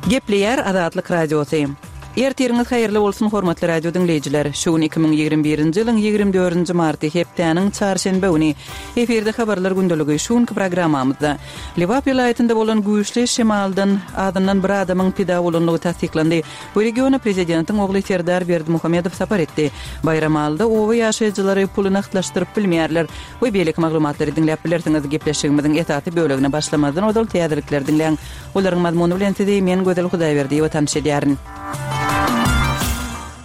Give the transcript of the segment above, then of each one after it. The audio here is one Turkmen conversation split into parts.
Gepleýär Azatlyk Radiosy. Ertiriňiz haýyrly bolsun, hormatly radio diňleýjiler! Şu gün 2021-nji ýylyň 24-nji marty, hepdäniň çarşenbe güni. Efirde Habarlar gündeligi. Şu günki programmamyzda Lebap welaýatynda bolan güýçli şemaldan azyndan bir adamyň pida bolandygy tassyklandy. Bu regiona prezidentiň ogly Serdar Berdimuhamedow sapar etdi. Baýramalyda oba ýaşaýjylary puly nagtlaşdyryp bilmeýärler we beýleki maglumatlary diňläp bilersiňiz. Gepleşigimiziň esasy bölegine başlamazdan ozal täzelikleri diňläň. Olaryň mazmuny bilen sizi men Gözel Hudaýberdiýewa tanyş edýärin.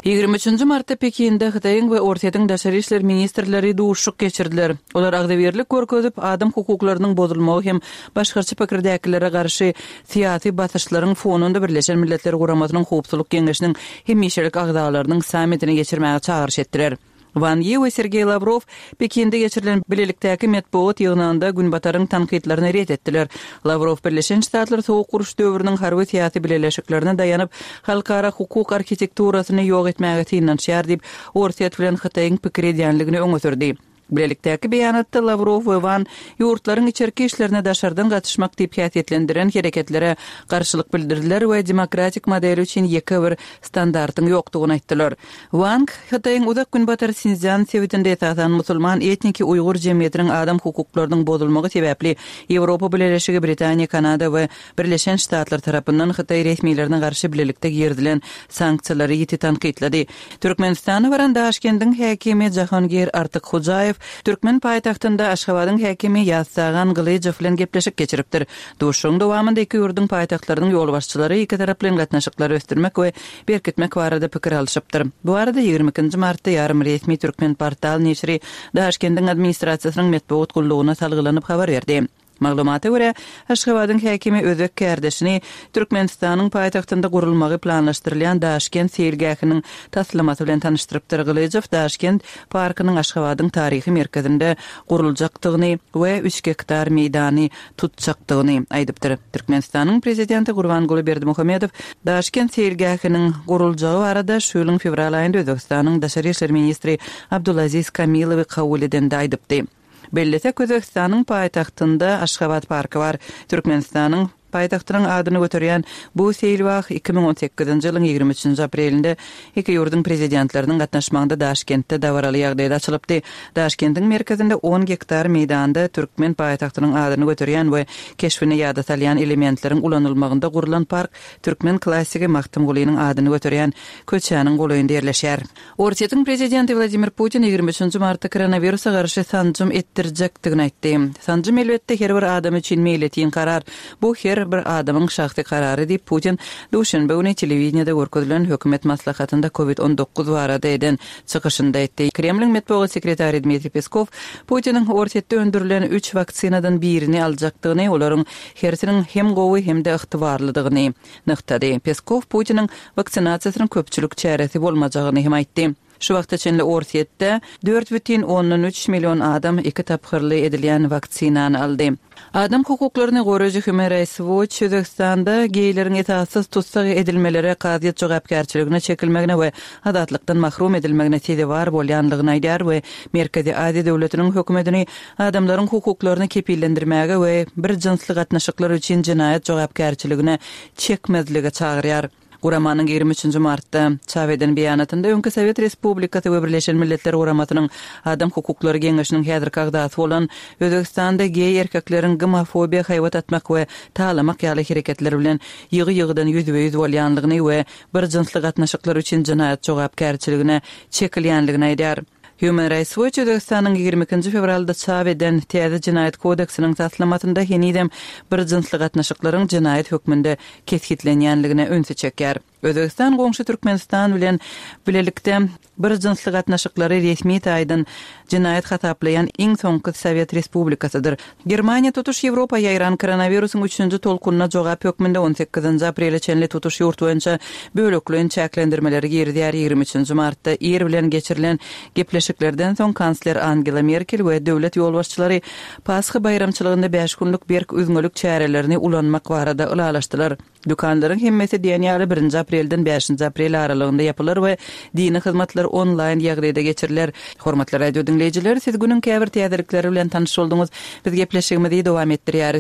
23-nji martda Pekinde Hytaýyň we Orsýetiň daşary işler ministrleri duşuşyk geçirdiler. Olar agzybirlik görkezip, adam hukuklarynyň bozulmagy hem başgaça pikirdäkilere garşy syýasy basyşlaryň fonunda Birleşen Milletler Guramasynyň Howpsuzlyk Geňeşiniň hemişelik agzalarynyň sammitini geçirmäge çagyryş etdiler. Wan Ýi we Sergeý Lawrow Pekinde geçirilen bilelikdäki metbugat ýygnagynda Günbataryň tankytlaryny ret etdiler. Lawrow Birleşen Ştatlar Sowuk uruş döwrüniň harby-syýasy bileleşiklerine daýanyp, halkara hukuk arhitekturasyny ýok etmäge synanyşýar diýip, Orsýet bilen Hytaýyň pikir edýänligini öňe sürdi. Bilelikdäki beýanatda Lawrow we Wan ýurtlaryň içerki işlerine daşardan gatyşmak diýip häsiýetlendiren hereketlere garşylyk bildirdiler we demokratik modeli üçin ýeke bir standartyň ýokdugyny aýtdylar. Wang, Hytaýyň Uzak Günbatar Sinszýan sebitinde esasan musulman etniki uýgur jemgyýetiniň adam hukuklarynyň bozulmagy sebäpli Ýewropa Bileleşigi, Britaniýa, Kanada we Birleşen Ştatlar tarapyndan hytaý resmilerine garşy bilelikde girizilen sanksiýalary ýiti tankytlady. Türkmenistana baran Daşkendiň häkimi Jahongir Artykhojaýew türkmen paýtagtynda Aşgabadyň häkimi Ýaztagan Gylyjow bilen gepleşik geçiripdir. Duşuşygyň dowamynda iki ýurduň paýtagtlarynyň ýolbaşçylary ikitaraplaýyn gatnaşyklary ösdürmek we berkitmek barada pikir alşypdyr. Bu barada 22 nji martda ýarym resmi Türkmenportal neşiri Daşkendiň administrasiýasynyň metbugat gullugyna salgylanyp habar berdi. Maglumata görä, Aşgabadyň häkimi özbek kärdeşini Türkmenistanyň paýtagtynda gurulmagy planlaşdyrylýan Daşkent seýilgähiniň taslamasy bilen tanyşdyrypdyr. Gylyjow Daşkent parkynyň Aşgabadyň taryhy merkezinde guruljakdygyny we üç gektar meýdany tutjakdygyny aýdypdyr. Türkmenistanyň Prezidenti Gurbanguly Berdimuhamedow Daşkent seýilgähiniň guruljagy barada şu ýylyň fewral aýynda Özbegistanyň daşary işler ministri Abdulaziz Kamilowy kabul edende aýdypdy. Bellesek, Özbegistanyň paýtagtynda Aşgabat parky bar. Türkmenistanyň paýtagtynyň adyny göterýän bu seýilbag 2018-nji ýylyň 23-nji aprelinde iki ýurduň Prezidentleriniň gatnaşmagynda Daşkentde dabaraly ýagdaýda açylypdy. Daşkendiň merkezinde on gektar meýdanda türkmen paýtagtynyň adyny göterýän we keşbini ýada salýan elementleriň ulanylmagynda gurlan park türkmen klassigi Magtymgulynyň adyny göterýän köçäniň golaýynda ýerleşýär. Orsýetiň prezidenti Wladimir Putin 23 martda koronawirusa garşy sanjym etdirjekdigini aýtdy. Sanjym, elbetde, her bir adam üçin meýletin karar. Bu her bir adamyň şahsy karary diýip, Putin duşenbe güni telewideniýede görkezilen hökümet maslahatynda Covid 19 barada eden çykyşynda aýtdy. Kremliň metbugat sekretary Dmitriý Peskow Putiniň Orsýetde öndürilen üç waksinadan birini aljakdygyny, olaryň hersiniň hem gowy hem-de ygtybarlydygyny nygtady. Peskow Putiniň waksinasiýasynyň köpçülik çäresi bolmajagyny hem aýtdy. Şu wagta çenli Orsýetde 4,3 million adam iki tapgyrly edilýän waksinany aldy. Adam hukuklaryny goraýjy Human Rights Watch Özbegistanda geýleriň esassyz tussag edilmelere, kazyýet jogapkärçiligine çekilmegine we azatlykdan mahrum edilmegine sezewar bolýanlygyny aýdýar we Merkezi Aziýa döwletiniň hökümetini adamlaryň hukuklaryny kepillendirmäge we bir jynsly gatnaşyklar üçin jenaýat jogapkärçiligine çekmezlige çagyrýar. Guramanyň 23-nji martda çap eden beýanatynda öňki Sowet Respublikasy we Birleşen Milletler Guramasynyň Adam hukuklary geňeşiniň häzirki agzasy bolan Özbegistanda geý erkekleriň gomofobiýa haýbat atmak we talamak ýaly hereketler bilen ýygy-ýygydan ýüzbe-ýüz bolýanlygyny we bir jynsly gatnaşyklar üçin jenaýat jogapkärçiligine çekilýänligini aýdýar. Human Rights Watch Özbegistanyň 22-nji fewralda çap eden täze Jenaýat kodeksiniň taslamasynda henizem bir jynsly gatnaşyklaryň jenaýat hökmünde kesgitlenýänligine ünsi çekýär. Özbegistan goňşy Türkmenistan bilen bilelikde bir jynsly gatnaşyklary resmi taýdan jenaýat hasaplaýan iň soňky sowet respublikasydyr. Germaniýa tutuş Ýewropa ýaýran koronawirusyň üçünji tolkunyna jogap hökmünde on sekizinji aprele çenli tutuş ýurt boýunça bölekleýin çäklendirmeleri girizýär. 23-nji martda ir bilen geçirilen gepleşiklerden soň kansler Angela Merkel we döwlet ýolbaşçylary Pasha baýramçylygynda bäş günlük berk üzňelik çärelerini ulanmak barada ylalaşdylar. Dükanlaryň hemmesi diýen ýaly birinji aprelden bäşinji aprel aralygynda ýapylar we dini hyzmatlar onlaýn ýagdaýda geçiriler. Hormatly radio diňleýjiler, siz günüň käbir täzelikleri bilen tanyş bolduňyz. Biz gepleşigimizi dowam etdirýäris.